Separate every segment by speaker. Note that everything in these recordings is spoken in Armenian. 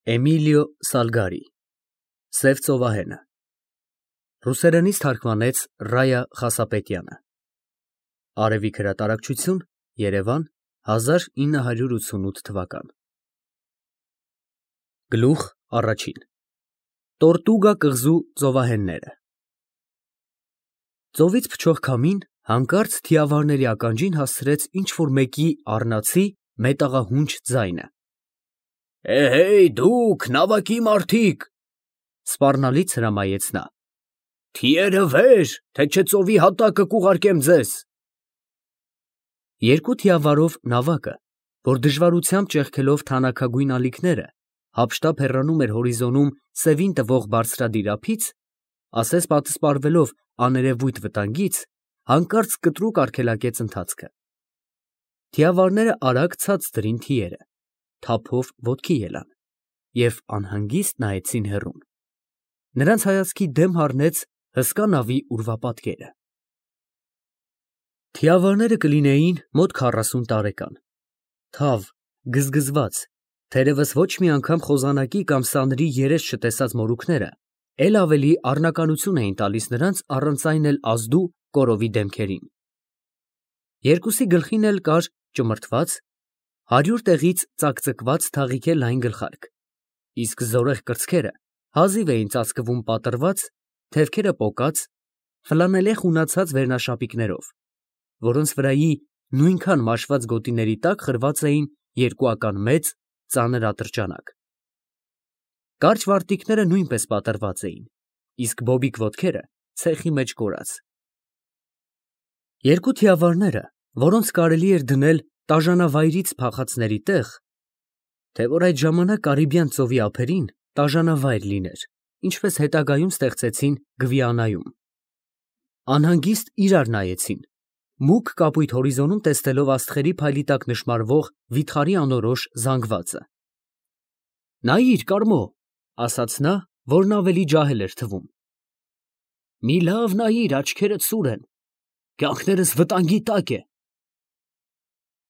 Speaker 1: Էմիլիո Սալգարի Սև ծովահենը Ռուսերենից թարգմանեց Ռայա Խասապետյանը Արևիկ հրատարակչություն Երևան 1988 թվական Գլուխ առաջին Տորտուգա կղզու ծովահենները Ծովից փչող քամին հանկարծ թիավարների ականջին հասցրեց ինչ-որ մեկի առնացի մետաղահունչ ձայնը Էհեյ դուք նավակի մարդիկ, սպառնալից հրամայեց նա, թիերը վեր, թե չէ ծովի հատակը կուղարկեմ ձեզ։ Երկու թիավարով նավակը, որ դժվարությամբ ճեղքելով թանաքագույն ալիքները, հափշտապ հեռանում էր հորիզոնում սևին տվող բարձրադիր ափից, ասես պատսպարվելով աներևույթ վտանգից, հանկարծ կտրուկ արգելակեց ընթացքը։ Թիավարները արագ ցած դրին թիերը, թափով ոտքի ելան և անհանգիստ նայեցին հեռուն։ Նրանց հայացքի դեմ հառնեց հսկա նավի ուրվապատկերը։ Թիավարները կլինեին մոտ 40 տարեկան, թավ, գզգզված, թերևս ոչ մի անգամ խոզանակի կամ սանրի երես չտեսած մորուքները էլ ավելի առնականություն էին տալիս նրանց առանց այն էլ ազդու կորովի դեմքերին։ Երկուսի գլխին էլ կար ճմրթված 100 տեղից ծակծկված թաղիքե լայն գլխարկ, իսկ զորեղ կրծքերը հազիվ էին ծածկվում պատռված, թևքերը պոկած, ֆլանելեղ ունացած վերնաշապիկներով, որոնց վրայի նույնքան մաշված գոտիների տակ խրված էին երկուական մեծ, ծանր ատրճանակ։ Կարճ վարտիքները նույնպես պատռված էին, իսկ բոբիկ ոտքերը ցեխի մեջ կորած։ Երկու թիավարները, որոնց կարելի էր դնել տաժանավայրից փախածների տեղ, թե որ այդ ժամանակ Կարիբյան ծովի ափերին տաժանավայր լիներ, ինչպես հետագայում ստեղծեցին Գվիանայում, անհանգիստ իրար նայեցին, մուգ կապույտ հորիզոնում տեսնելով աստղերի փայլի տակ նշմարվող վիթխարի անորոշ զանգվածը։ Նայիր, Կարմո, ասաց նա, որն ավելի ջահել էր թվում։ Մի լավ նայիր, աչքերդ սուր են, կյանքներս վտանգի տակ է։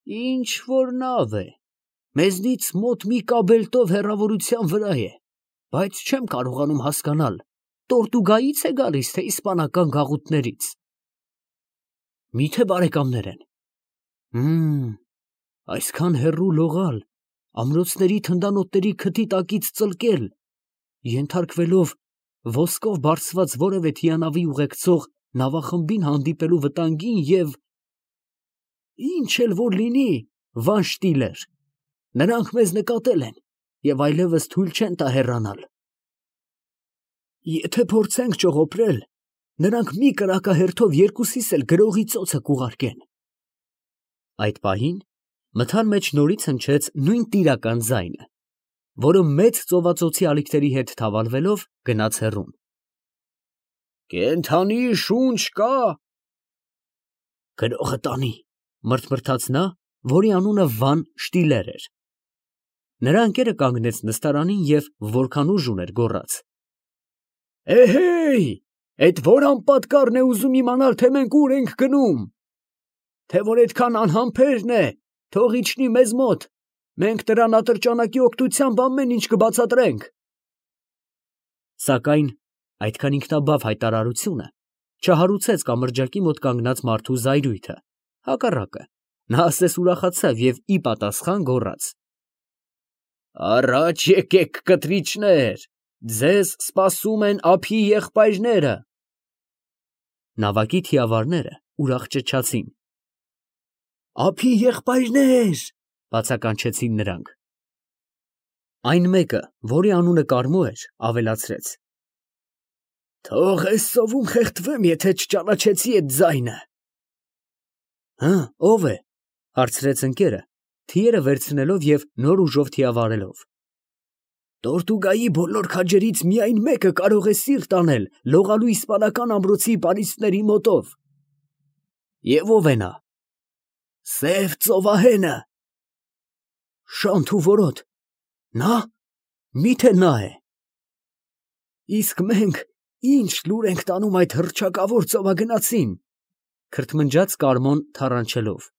Speaker 1: Ինչ որ նավ է, մեզնից մոտ մի կաբելտով հեռավորության վրա է, բայց չեմ կարողանում հասկանալ, Տորտուգայից է գալիս, թե իսպանական գաղութներից։ Միթե բարեկամներ են։ Այսքան հեռու լողալ, ամրոցների թնդանոթների քթի տակից ծլկել, ենթարկվելով ոսկով բարձված որևէ թիանավի ուղեկցող նավախմբին հանդիպելու վտանգին և… Ինչ էլ որ լինի, Վան Շտիլեր, նրանք մեզ նկատել են և այլևս թույլ չեն տա հեռանալ։ Եթե փորձենք ճողոպրել, նրանք մի կրակահերթով երկուսիս էլ գրողի ծոցը կուղարկեն։ Այդ պահին մթան մեջ նորից հնչեց նույն տիրական ձայնը, որը մեծ ծովածոցի ալիքների հետ թավալվելով գնաց հեռուն։ Կենդանի շունչ կա։ Գրողը տանի, մրթմրթաց նա, որի անունը Վան Շտիլեր էր։ Նրա ընկերը կանգնեց նստարանին և որքան ուժ ուներ գոռաց. Էհեյ, էդ որ անպատկառն է ուզում իմանալ, թե մենք ուր ենք գնում, թե որ այդքան անհամբերն է, թող իջնի մեզ մոտ, մենք նրան ատրճանակի օգնությամբ ամեն ինչ կբացատրենք։ Սակայն այդքան ինքնաբավ հայտարարությունը չհարուցեց կամրջակի մոտ կանգնած մարդու զայրույթը, հակառակը, նա ասես ուրախացավ և ի պատասխան գոռաց. Առաջ եկեք, կտրիչներ, ձեզ սպասում են ափի եղբայրները։ Նավակի թիավարները ուրախ ճչացին. Ափի եղբայրներ, բացականչեցին նրանք։ Այն մեկը, որի անունը Կարմո էր, ավելացրեց. Թող էս ծովում խեղդվեմ, եթե չճանաչեցի էդ ձայնը։ Ով է, հարցրեց ընկերը, թիերը վերցնելով և նոր ուժով թիավարելով։ Տորտուգայի բոլոր քաջերից միայն մեկը կարող է սիրտ անել լողալու իսպանական ամրոցի պարիսպների մոտով։ Եվ ով է նա։ Սև ծովահենը։ Շանթ ու որոտ, նա, միթե նա է։ Իսկ մենք ինչ լուր ենք տանում այդ հռչակավոր ծովագնացին, քրթմնջաց Կարմոն թառանչելով։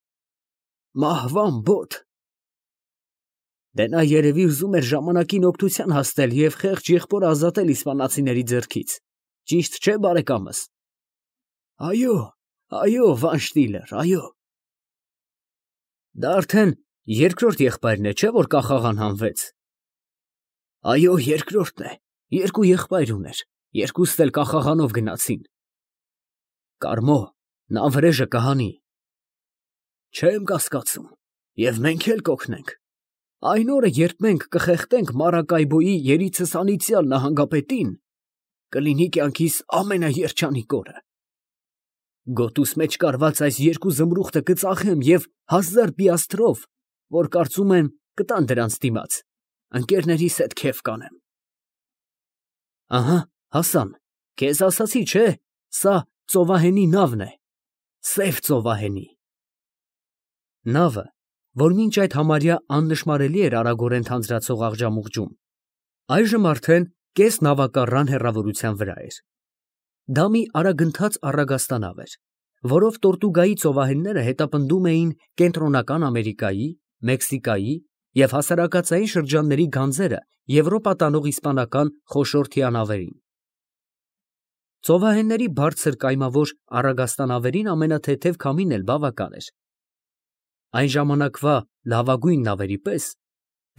Speaker 1: Մահվան բոտ։ Դե նա երևի ուզում էր ժամանակին օգնության հասնել և խեղճ եղբորը ազատել իսպանացիների ձեռքից, ճիշտ չէ՞ բարեկամս։ Այո, այո, Վանշտիլեր, այո։ Դա արդեն երկրորդ եղբայրն է, չէ՞ որ կախաղան հանվեց։ Այո, երկրորդն է, երկու եղբայր ուներ, երկուստ էլ կախաղանով գնացին։ Կարմո, նա վրեժը կհանի։ Չեմ կասկածում, և մենք էլ կօգնենք։ Այն օրը, երբ մենք կխեղդենք Մարակայբոյի երիցս անիծյալ նահանգապետին, կլինի կյանքիս ամենաերջանիկ օրը։ Գոտուս մեջ կարված այս երկու զմրուխտը կծախեմ և 1000 պիաստրով, որ կարծում եմ կտան դրանց դիմաց, ընկերներիս հետ քեֆ կանեմ։ Ահա, Հասան, քեզ ասացի, չէ՞, սա ծովահենի նավն է, սև ծովահենի։ Նավը, որ մինչ այդ համարյա աննշմարելի էր արագորեն թանձրացող աղջամուղջում, այժմ արդեն կես նավակառան հեռավորության վրա էր։ Դա մի արագընթաց առագաստանավ էր, որով Տորտուգայի ծովահենները հետապնդում էին Կենտրոնական Ամերիկայի, Մեքսիկայի և հասարակածային շրջանների գանձերը Եվրոպա տանող իսպանական խոշոր թիանավերին։ Ծովահենների բարձր կայմավոր առագաստանավերին ամենաթեթև քամին էլ բավական էր։ Այն ժամանակվա լավագույն նավերի պես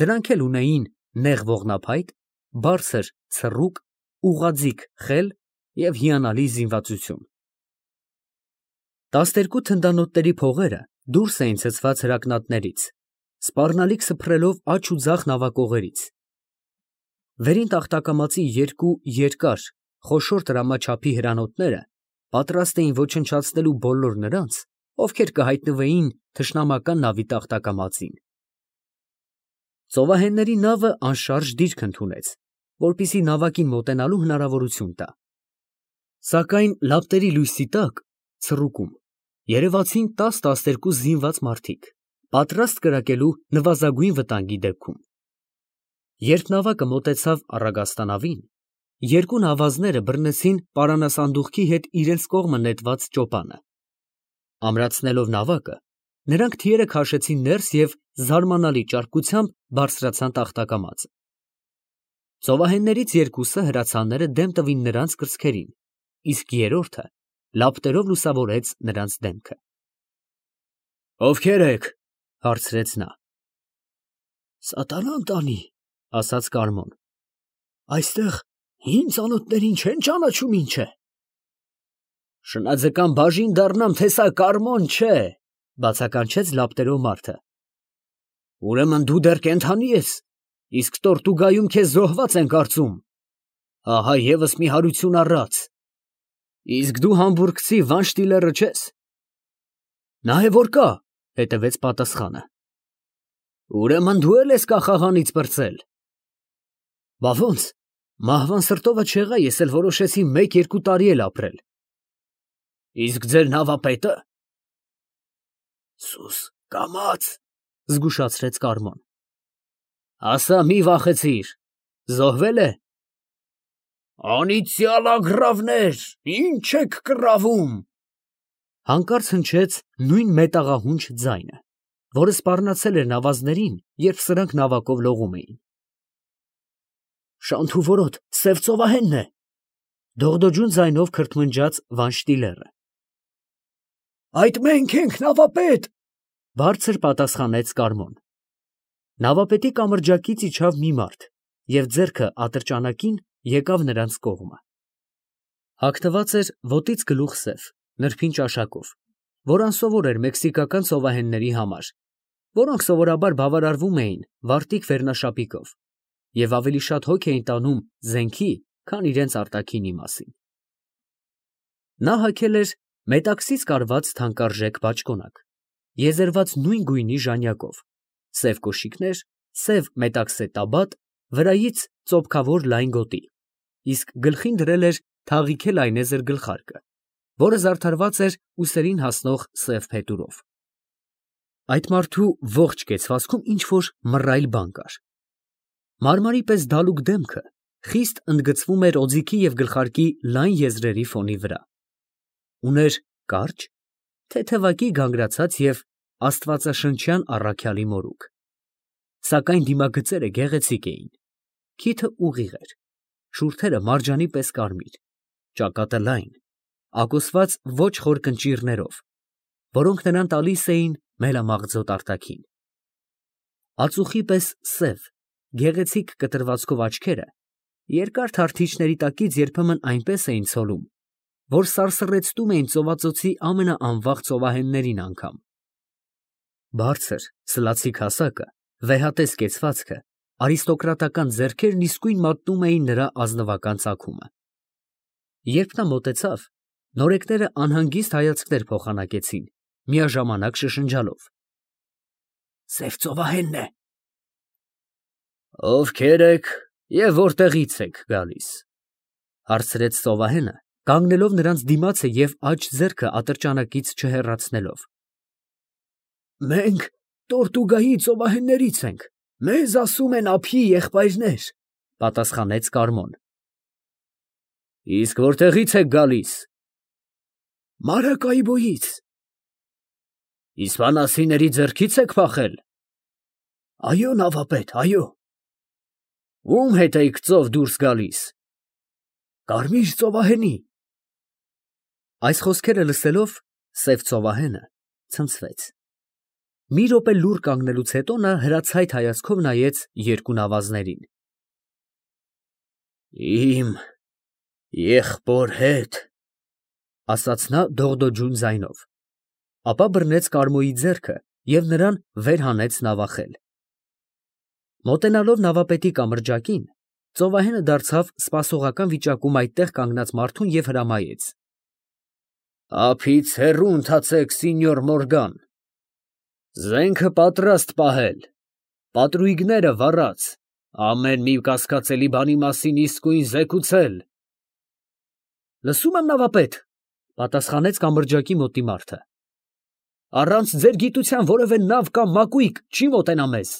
Speaker 1: դրանք էլ ունեին նեղ ողնափայտ, բարձր ցռուկ, ուղղաձիգ խել և հիանալի զինվածություն։ 12 թնդանոթների փողերը դուրս էին ցցված հրակնատներից, սպառնալիք սփռելով աջ ու ձախ նավակողերից։ Վերին տախտակամածի երկու երկար, խոշոր տրամաչափի հրանոթները պատրաստ էին ոչնչացնելու բոլոր նրանց, ովքեր կհայտնվեին թշնամական նավի տախտակամածին։ Ծովահենների նավը անշարժ դիրք ընդունեց, որպեսզի նավակին մոտենալու հնարավորություն տա։ Սակայն լապտերի լույսի տակ, ցռուկում, երևացին 10-12 զինված մարդիկ, պատրաստ կրակելու նվազագույն վտանգի դեպքում։ Երբ նավակը մոտեցավ առագաստանավին, երկու նավազները բռնեցին պարանասանդուղքի հետ իրենց կողմը նետված ճոպանը։ Ամրացնելով նավակը, նրանք թիերը քաշեցին ներս և զարմանալի ճարպկությամբ բարձրացան տախտակամածը։ Ծովահեններից երկուսը հրացանները դեմ տվին նրանց կրծքերին, իսկ երրորդը լապտերով լուսավորեց նրանց դեմքը։ Ովքե՞ր եք, հարցրեց նա։ Սատանան տանի, ասաց Կարմոն, այստեղ հին ծանոթներին չեն ճանաչում ինչ է։ Շնաձկան բաժին դառնամ, թե սա Կարմոն չէ, բացականչեց լապտերով մարդը։ Ուրեմն դու դեռ կենդանի ես, իսկ Տորտուգայում քեզ զոհված են կարծում։ Ահա ևս մի հարություն առած։ Իսկ դու համբուրգցի Վանշտիլերը չես։ Նա է որ կա, հետևեց պատասխանը։ Ուրեմն դու էլ ես կախաղանից պրծել։ Բա ոնց, մահվան սրտովը չեղա, ես էլ որոշեցի 1-2 տարի էլ ապրել։ Իսկ ձեր նավապետը։ Սուս կամաց, զգուշացրեց Կարմոն։ Ասա, մի վախեցիր, զոհվել է։ Անիծյալ ագռավներ, ինչ եք կռավում։ Հանկարծ հնչեց նույն մետաղահունչ ձայնը, որը սպառնացել էր նավազներին, երբ սրանք նավակով լողում էին։ Շանթուվորոտ, սև ծովահենն է, դողդոջուն ձայնով քրթմնջաց Վանշտիլերը։ Այդ մենք ենք, նավապետ, բարձր պատասխանեց Կարմոն։ Նավապետի կամրջակից իջավ մի մարդ և ձեռքը ատրճանակին եկավ նրանց կողմը։ Հագնված էր ոտից գլուխ սև, նրբին ճաշակով, որ անսովոր էր մեքսիկական ծովահենների համար, որոնք սովորաբար բավարարվում էին վարտիք վերնաշապիկով և ավելի շատ հոգ էին տանում զենքի, քան իրենց արտաքինի մասին։ Նա հագել էր մետաքսից կարված թանկարժեք բաճկոնակ, եզերված նույն գույնի ժանյակով, սև կոշիկներ, սև մետաքսե տաբատ, վրայից ծոփքավոր լայն գոտի, իսկ գլխին դրել էր թաղիքե լայնեզր գլխարկը, որը զարդարված էր ուսերին հասնող սև փետուրով։ Այդ մարդու ողջ կեցվածքում ինչ-որ մռայլ բան կար։ Մարմարի պես դալուկ դեմքը խիստ ընդգծվում էր օձիքի և գլխարկի լայն եզրերի ֆոնի վրա։ Ուներ կարճ, թեթևակի գանգրացած և աստվածաշնչյան առաքյալի մորուք։ սակայն դիմագծերը գեղեցիկ էին։ Քիթը ուղիղ էր, շուրթերը մարջանի պես կարմիր, ճակատը լայն, ակոսված ոչ խոր կնճիռներով, որոնք նրան տալիս էին մելամաղձոտ արտաքին։ Ածուխի պես սև, գեղեցիկ կտրվածքով աչքերը երկար թարթիչների տակից երբեմն այնպես էին ցոլում, որ սարսռեցնում էին ծովածոցի ամենաանվաղ ծովահեններին անգամ։ Բարձր, սլացիկ հասակը, վեհատես կեցվածքը, արիստոկրատական ձեռքերն իսկույն մատնում էին նրա ազնվական ծագումը։ Երբ նա մոտեցավ, նորեկները անհանգիստ հայացքներ փոխանակեցին, միաժամանակ շշնջալով. «Սև ծովահենն է»։ «Ովքեր եք և որտեղից եք գալիս», ֊ հարցրեց ծովահենը, կանգնելով նրանց դիմացը և աջ ձեռքը ատրճանակից չհեռացնելով։ «Մենք Տորտուգայի ծովահեններից ենք, մեզ ասում են ափի եղբայրներ, ֊ պատասխանեց Կարմոն։ ֊ Իսկ որտեղից եք գալիս։ ֊ Մարակայբոյից։ ֊ Իսպանացիների ձեռքի՞ց եք փախել։ ֊ Այո, նավապետ, այո։ ֊ Ո՞ւմ հետ էիք ծով դուրս գալիս։ ֊ Կարմիր ծովահենի։ Այս խոսքերը լսելով, սև ծովահենը ցնցվեց։ Մի րոպե լուռ կանգնելուց հետո նա հրացայտ հայացքով նայեց երկու նավազներին։ «Իմ եղբոր հետ», ֊ ասաց նա դողդոջուն ձայնով, ապա բռնեց Կարմոյի ձեռքը և նրան վեր հանեց նավախել։ Մոտենալով նավապետի կամրջակին, ծովահենը դարձավ սպասողական վիճակում այդտեղ կանգնած մարդուն և հրամայեց. «Ափից հեռու ընթացեք, Սինյոր Մորգան, զենքը պատրաստ պահել, պատրույգները վառած, ամեն մի կասկածելի բանի մասին իսկույն զեկուցել»։ ֊ Լսում եմ, նավապետ, ֊ պատասխանեց կամրջակի մոտի մարդը։ ֊ Առանց ձեր գիտության որևէ նավ կամ մակույկ չի մոտենա մեզ։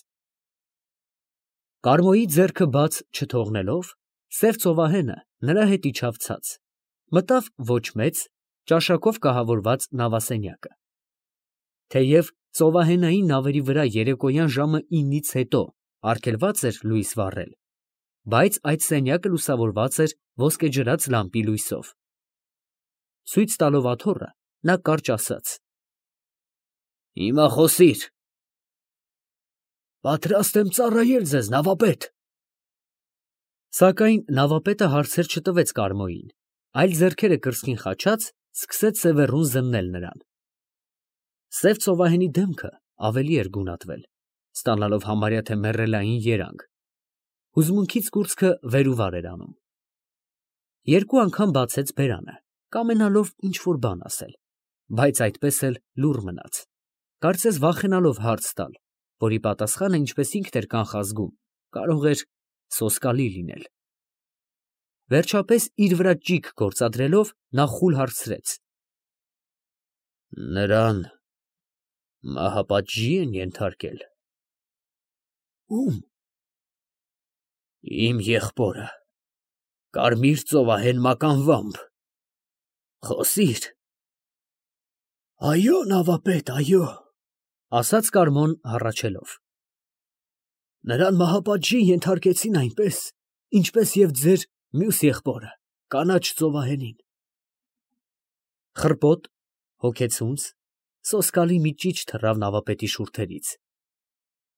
Speaker 1: Կարմոյի ձեռքը բաց չթողնելով, սև ծովահենը նրա հետ իջավ ցած, մտավ ոչ մեծ, ճաշակով կահավորված նավասենյակը։ Թեև ծովահենային նավերի վրա երեկոյան ժամը 9-ից հետո արգելված էր լույս վառել, բայց այդ սենյակը լուսավորված էր ոսկեջրած լամպի լույսով։ Ցույց տալով աթոռը, նա կարճ ասաց. «Հիմա խոսիր»։ «Պատրաստ եմ ծառայել ձեզ, նավապետ»։ Սակայն նավապետը հարցեր չտվեց Կարմոյին, այլ ձեռքերը կրծքին խաչած սկսեց սևեռուն զննել նրան։ Սև ծովահենի դեմքը ավելի էր գունատվել, ստանալով համարյա թե մեռելային երանգ, հուզմունքից կուրծքը վեր ու վար էր անում։ Երկու անգամ բացեց բերանը, կամենալով ինչ֊որ բան ասել, բայց այդպես էլ լուռ մնաց, կարծես վախենալով հարց տալ, որի պատասխանը, ինչպես ինքն էր կանխազգում, կարող էր սոսկալի լինել։ Վերջապես իր վրա ճիգ գործադրելով, նա խուլ հարցրեց. «Նրան մահապատժի են ենթարկել։ ֊ Ո՞ւմ։ ֊ Իմ եղբորը, Կարմիր ծովահեն մականվամբ։ Խոսիր։ ֊ Այո, նավապետ, այո, ֊ ասաց Կարմոն հառաչելով։ ֊ Նրան մահապատժի ենթարկեցին այնպես, ինչպես և ձեր մյուս եղբորը, կանաչ ծովահենին։ Խռպոտ, հոգեցունց, սոսկալի մի ճիչ թռավ նավապետի շուրթերից։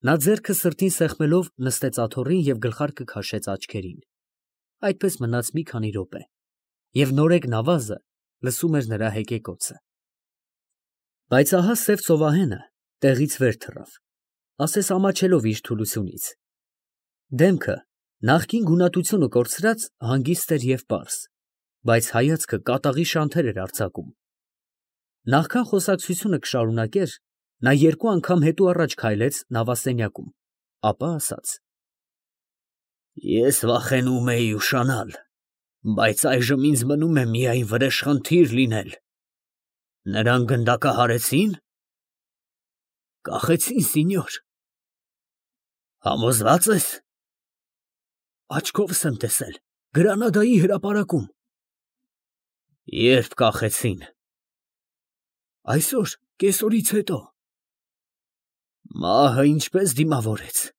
Speaker 1: Նա ձեռքը սրտին սեղմելով նստեց աթոռին և գլխարկը քաշեց աչքերին։ Այդպես մնաց մի քանի րոպե, և նորեկ նավազը լսում էր նրա հեկեկոցը։ Բայց ահա սև ծովահենը տեղից վեր թռավ, ասես ամաչելով իր թուլությունից։ Դեմքը, նախկին գունատությունը կորցրած, հանգիստ էր և պարզ, բայց հայացքը կատաղի շանթեր էր արձակում։ Նախքան խոսակցությունը կշարունակեր, նա երկու անգամ հետո առաջ քայլեց նավասենյակում, ապա ասաց. «Ես վախենում էի ուշանալ, բայց այժմ ինձ մնում է միայն վրեժխնդիր լինել։ Նրան գնդակահարեցի՞ն։ ֊ Կախեցին, սինյոր։ ֊ Համոզվա՞ծ ես։ ֊ Աչքովս եմ տեսել, Գրանադայի հրապարակում։ ֊ Ե՞րբ կախեցին։ ֊ Այսօր, կեսօրից հետո։ ֊ Մահը ինչպե՞ս դիմավորեց։ ֊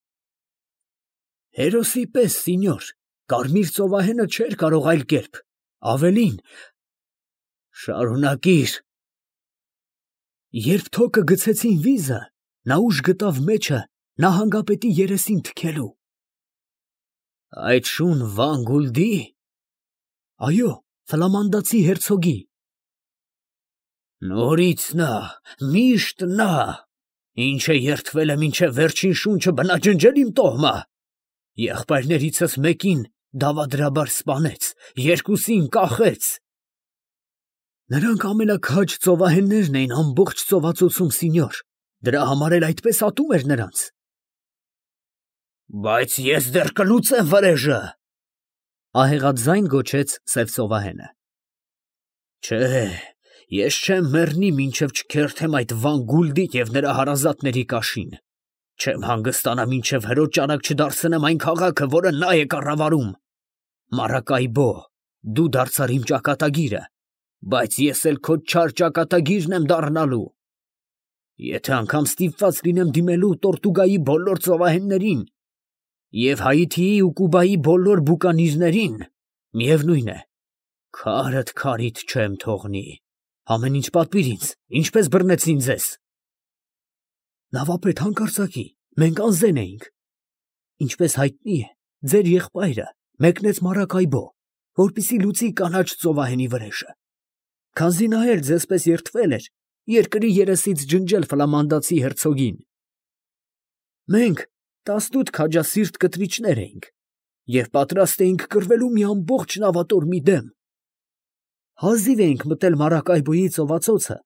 Speaker 1: Հերոսի պես, սինյոր, կարմիր ծովահենը չէր կարող այլ կերպ, ավելին, շարունակիր։ Երբ թոքը գցեցին վիզը, նա ուժ գտավ մեջը նահանգապետի երեսին թքելու։ Այդ շուն Վան Գուլդի։ Այո, ֆլամանդացի հերցոգի։ Նորից նա, միշտ նա, ինչ է երդվել է մինչև վերջին շունչը բնաջնջել իմ տոհմա։ Եղբայրներիցս մեկին դավադրաբար սպանեց, երկուսին կախեց։ Նրանք ամենաքաջ ծովահեններն էին ամբողջ ծովածոցում, սինյոր, դրա համար էլ այդպես ատում էր նրանց։ Բայց ես դեռ կլուծեմ վրեժը, ահեղաձայն գոչեց սև ծովահենը։ Չէ, ես չեմ մեռնի, մինչև չքերթեմ այդ Վան Գուլդի և նրա հարազատների կաշին։ Չեմ հանգստանա, մինչև հրոջ ճանաք չդարձնեմ այն քաղաքը, որը նա է կառավարում։ Մարակայբո, դու դարձար իմ ճակատագիրը, բայց ես էլ քո չար ճակատագիրն եմ դառնալու։ Եթե անգամ ստիպված լինեմ դիմելու Տորտուգայի բոլոր ծովահեններին և Հայիթիի ու Կուբայի բոլոր բուկանիզներին, միևնույն է, քարդ քարիդ չեմ թողնի։ Ամեն ինչ պատվիր ինձ, ինչպես բռնեցին ձեզ։ Նավապետ, հանկարծակի, մենք անզեն էինք։ Ինչպես հայտնի է, ձեր եղբայրը մեկնեց Մարակայբո, որպեսզի լուծի կանաչ ծովահենի վրեժը։ Քանզի նա էլ ձեզպես երդվել էր երկրի երեսից ջնջել ֆլամանդացի հերցոգին։ Մենք 18 քաջասիրտ կտրիչներ էինք և պատրաստ էինք կռվելու մի ամբողջ նավատորմի դեմ։ Հազիվ էինք մտել Մարակայբոյի ծովածոցը,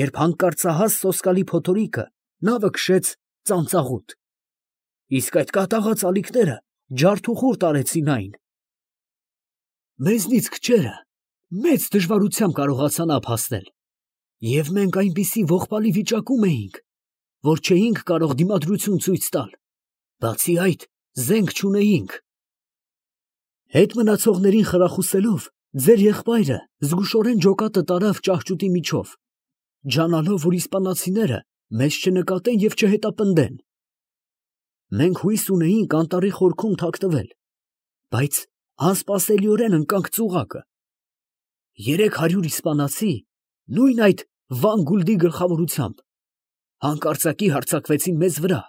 Speaker 1: երբ հանկարծահաս սոսկալի փոթորիկը նավը քշեց ծանծաղուտ, իսկ այդ կատաղած ալիքները ջարդուխուր տարեցին այն։ Մեզնից քչերը մեծ դժվարությամբ կարողացան ափ հասնել, և մենք այնպիսի ողբալի վիճակում էինք, որ չէինք կարող դիմադրություն ցույց տալ, բացի այդ զենք չունեինք։ Հետ մնացողներին խրախուսելով, ձեր եղբայրը զգուշորեն ջոկատը տարավ ճահճուտի միջով, ջանալով, որ իսպանացիները մեզ չնկատեն և չհետապնդեն։ Մենք հույս ունեինք անտառի խորքում թաքնվել, բայց անսպասելիորեն ընկանք ծուղակը։ 300 իսպանացի, նույն այդ Վան Գուլդի գլխավորությամբ, հանկարծակի հարձակվեցին մեզ վրա,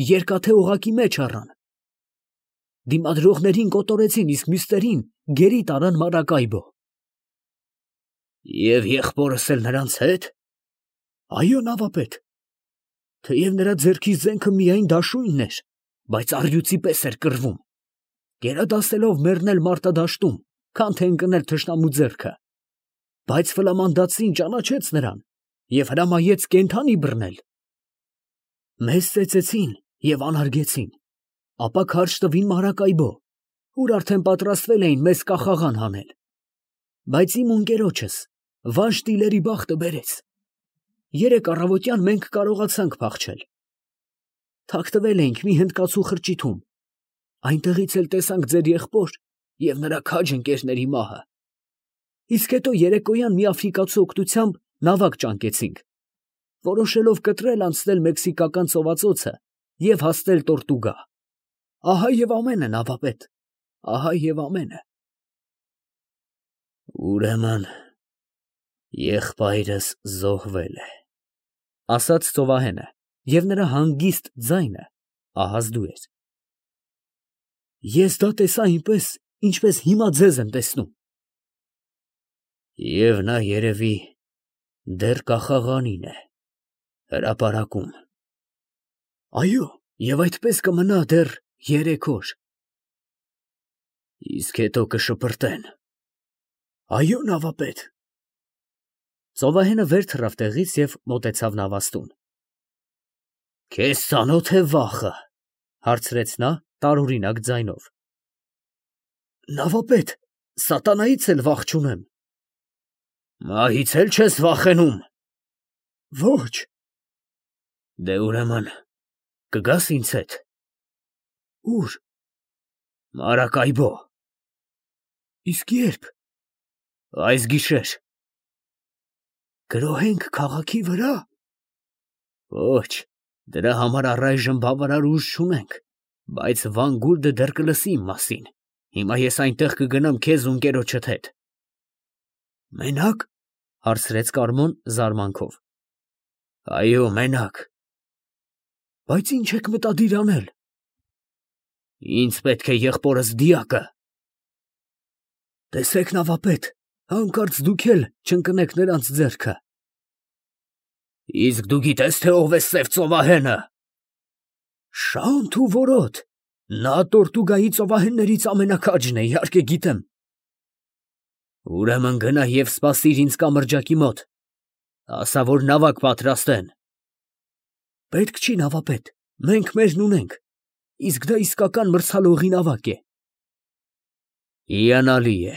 Speaker 1: երկաթե օղակի մեջ առան։ Դիմադրողներին կոտորեցին, իսկ մյուսներին գերի տարան Մարակայբո։ Եվ եղբորս էլ նրանց հետ։ Այո, նավապետ։ Թեև նրա ձեռքի զենքը միայն դաշույնն էր, բայց առյուծի պես էր կռվում, գերադասելով մեռնել մարտադաշտում, քան թե ընկնել թշնամու ձեռքը։ Բայց ֆլամանդացին ճանաչեց նրան և հրամայեց կենդանի բռնել։ Մեզ ծեծեցին և անարգեցին, ապա քարշ տվին Մարակայբո, ուր արդեն պատրաստվել էին մեզ կախաղան հանել։ Բայց իմ ունկերոջս Վան Շտիլերի բախտը բերեց։ 3 առավոտյան մենք կարողացանք փախչել։ Թաքնվել էինք մի հնդկացու խրճիթում, այնտեղից էլ տեսանք ձեր եղբոր և նրա քաջ ընկերների մահը։ Իսկ հետո երեկոյան մի աֆրիկացու օգնությամբ նավակ ճանկեցինք, որոշելով կտրել անցնել մեքսիկական ծովածոցը և հասնել Տորտուգա։ Ահա և ամենը, նավապետ, ահա և ամենը։ Ուրեմն եղբայրս զոհվել է, ասաց ծովահենը, և նրա հանգիստ ձայնը ահազդու էր։ Ես դա տեսա այնպես, ինչպես հիմա ձեզ եմ տեսնում։ Եվ նա երևի դեռ կախաղանին է, հրապարակում։ Այո, և այդպես կմնա դեռ 3 օր։ Իսկ հետո կշպրտեն։ Այո, նավապետ։ Ծովահենը վեր թռավ տեղից և մոտեցավ նավաստուն։ Քեզ ծանոթ է վախը, հարցրեց նա տարօրինակ ձայնով։ Նավապետ, սատանայից էլ վախ չունեմ։ Մահից էլ չես վախենում։ Ոչ։ Դե ուրեմն կգաս ինձ հետ։ Ուր։ Մարակայբո։ Իսկ ե՞րբ։ Այս գիշեր։ Գրոհենք քաղաքի վրա։ Ոչ, դրա համար առայժմ բավարար ուժ չունենք, Բայց Վան Գուլդը դեռ կլսի իմ մասին։ Հիմա ես այնտեղ կգնամ քեզ ու ընկերոջդ հետ։ Մենակ, հարցրեց Կարմոն զարմանքով։ Այո, մենակ։ Բայց ինչ եք մտադիր անել։ Ինձ պետք է եղբորս դիակը։ Տեսեք, նավապետ, հանկարծ դուք էլ չընկնեք նրանց ձեռքը։ Իսկ դու գիտես, թե ով է սև ծովահենը։ Շանթ ու որոտ, նա Տորտուգայի ծովահեններից ամենաքաջն է, իհարկե գիտեմ։ Ուրեմն գնա և սպասիր ինձ կամրջակի մոտ, ասա, որ նավակ պատրաստեն։ Պետք չի, նավապետ, մենք մերն ունենք, իսկ դա իսկական մրցալողի նավակ է։ Հիանալի է,